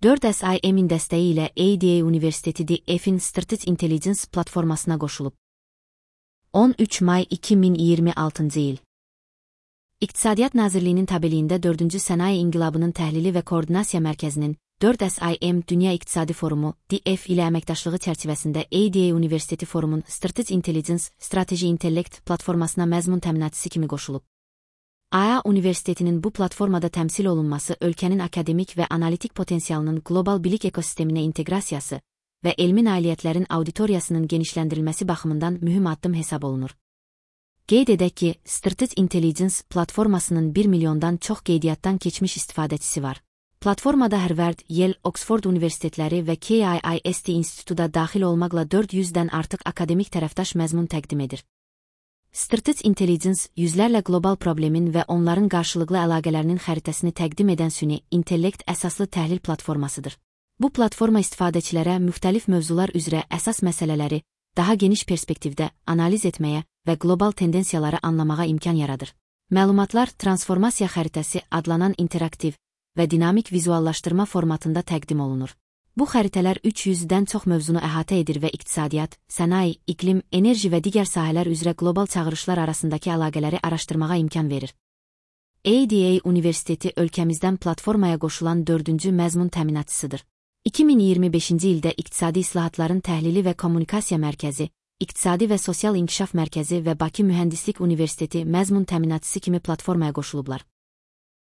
4SIM-in dəstəyi ilə ADA Universiteti DF-in Strategic Intelligence platformasına qoşulub. 13 may 2026-cı il. İqtisadiyyat Nazirliyinin tabeliyində 4-cü Sənaye İnqilabının Təhlili və Koordinasiya Mərkəzinin 4SIM Dünya İqtisadi Forumu DF ilə əməkdaşlığı çərçivəsində ADA Universiteti Forumun Strategic Intelligence, Strateji İntellekt platformasına məzmun təminatçısı kimi qoşulub. ADA Universitetinin bu platformada təmsil olunması ölkənin akademik və analitik potensialının qlobal bilik ekosisteminə inteqrasiyası və elmi nailiyyətlərin auditoriyasının genişləndirilməsi baxımından mühüm addım hesab olunur. Qeyd edək ki, Strategic Intelligence platformasının 1 milyondan çox qeydiyyatdan keçmiş istifadəçisi var. Platformada Harvard, Yale, Oxford universitetləri və KIST institutu da daxil olmaqla 400-dən artıq akademik tərəfdaş məzmun təqdim edir. Strategic Intelligence yüzlərlə qlobal problemin və onların qarşılıqlı əlaqələrinin xəritəsini təqdim edən süni intellekt əsaslı təhlil platformasıdır. Bu platforma istifadəçilərə müxtəlif mövzular üzrə əsas məsələləri daha geniş perspektivdə analiz etməyə və qlobal tendensiyaları anlamağa imkan yaradır. Məlumatlar transformasiya xəritəsi adlanan interaktiv və dinamik vizuallaşdırma formatında təqdim olunur. Bu xəritələr 300-dən çox mövzunu əhatə edir və iqtisadiyyat, sənaye, iqlim, enerji və digər sahələr üzrə qlobal çağırışlar arasındakı əlaqələri araşdırmağa imkan verir. ADA Universiteti ölkəmizdən platformaya qoşulan 4-cü məzmun təminatçısıdır. 2025-ci ildə İqtisadi İslahatların Təhlili və Kommunikasiya Mərkəzi, İqtisadi və Sosial İnkişaf Mərkəzi və Bakı Mühəndislik Universiteti məzmun təminatçısı kimi platformaya qoşulublar.